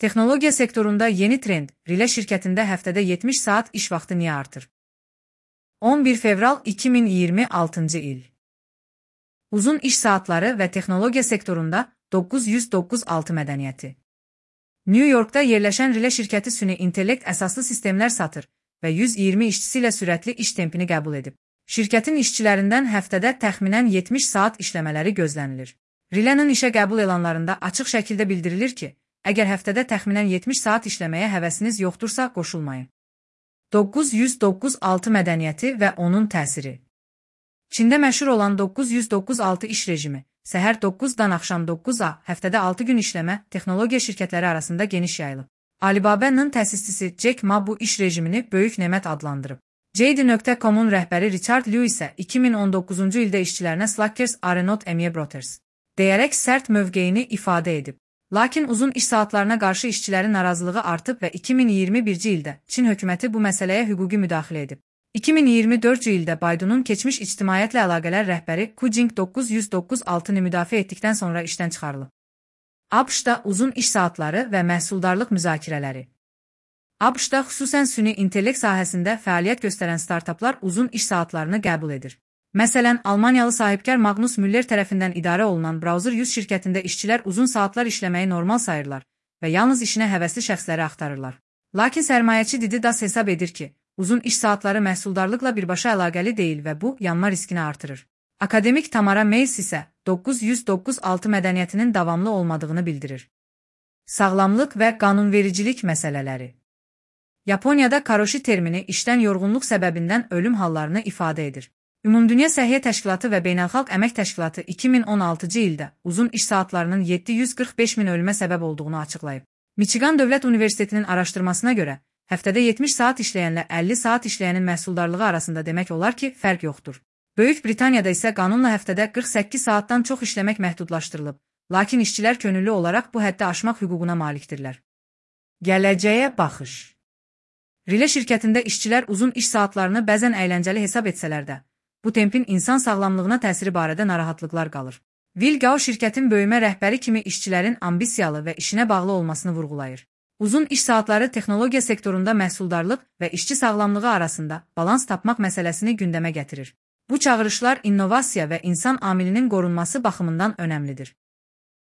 Texnologiya sektorunda yeni trend, Rile şirkətində həftədə 70 saat iş vaxtı niyə artır? 11 fevral 2026 il. Uzun iş saatları və texnologiya sektorunda 996 mədəniyyəti. New Yorkda yerləşən Rile şirkəti süni intellekt əsaslı sistemlər satır və 120 işçisi ilə sürətli iş tempini qəbul edib. Şirkətin işçilərindən həftədə təxminən 70 saat işləmələri gözlənilir. Rile'nin işə qəbul elanlarında açıq şəkildə bildirilir ki, əgər həftədə təxminən 70 saat işləməyə həvəsiniz yoxdursa, qoşulmayın. 996 mədəniyyəti və onun təsiri. Çində məşhur olan 996 iş rejimi, səhər 9-dan axşam 9-a, həftədə 6 gün işləmə, texnologiya şirkətləri arasında geniş yayılıb. Alibaba'nın təsisçisi Jack Ma bu iş rejimini böyük nemət adlandırıb. JD.com'un rəhbəri Richard Liu isə 2019-cu ildə işçilərinə Slackers are not Emie Brothers deyərək sərt mövqeyini ifadə edib. Lakin uzun iş saatlarına qarşı işçilərin narazılığı artıb və 2021-ci ildə Çin hökuməti bu məsələyə hüquqi müdaxilə edib. 2024-cü ildə Baidu'nun keçmiş ictimaiyyətlə əlaqələr rəhbəri Ku Jing 996-nı müdafiə etdikdən sonra işdən çıxarılıb. ABŞ-da uzun iş saatları və məhsuldarlıq müzakirələri. ABŞ-da xüsusən süni intellekt sahəsində fəaliyyət göstərən startaplar uzun iş saatlarını qəbul edir. Məsələn, Almaniyalı sahibkar Magnus Müller tərəfindən idarə olunan Browser 100 şirkətində işçilər uzun saatlar işləməyi normal sayırlar və yalnız işinə həvəsli şəxsləri axtarırlar. Lakin sərmayəçi Dididas hesab edir ki, uzun iş saatları məhsuldarlıqla birbaşa əlaqəli deyil və bu, yanma riskini artırır. Akademik Tamara Mays isə 996 mədəniyyətinin davamlı olmadığını bildirir. Sağlamlıq və qanunvericilik məsələləri. Yaponiyada karoshi termini işdən yorğunluq səbəbindən ölüm hallarını ifadə edir. Ümumdünya Səhiyyə Təşkilatı və Beynəlxalq Əmək Təşkilatı 2016-cı ildə uzun iş saatlarının 745 min ölümə səbəb olduğunu açıqlayıb. Michigan Dövlət Universitetinin araşdırmasına görə, həftədə 70 saat işləyənlə 50 saat işləyənin məhsuldarlığı arasında demək olar ki, fərq yoxdur. Böyük Britaniyada isə qanunla həftədə 48 saatdan çox işləmək məhdudlaşdırılıb, lakin işçilər könüllü olaraq bu həddi aşmaq hüququna malikdirlər. Gələcəyə baxış. Rile şirkətində işçilər uzun iş saatlarını bəzən əyləncəli hesab etsələr də, bu tempin insan sağlamlığına təsiri barədə narahatlıqlar qalır. Will Gao şirkətin böyümə rəhbəri kimi işçilərin ambisiyalı və işinə bağlı olmasını vurğulayır. Uzun iş saatları texnologiya sektorunda məhsuldarlıq və işçi sağlamlığı arasında balans tapmaq məsələsini gündəmə gətirir. Bu çağırışlar innovasiya və insan amilinin qorunması baxımından önəmlidir.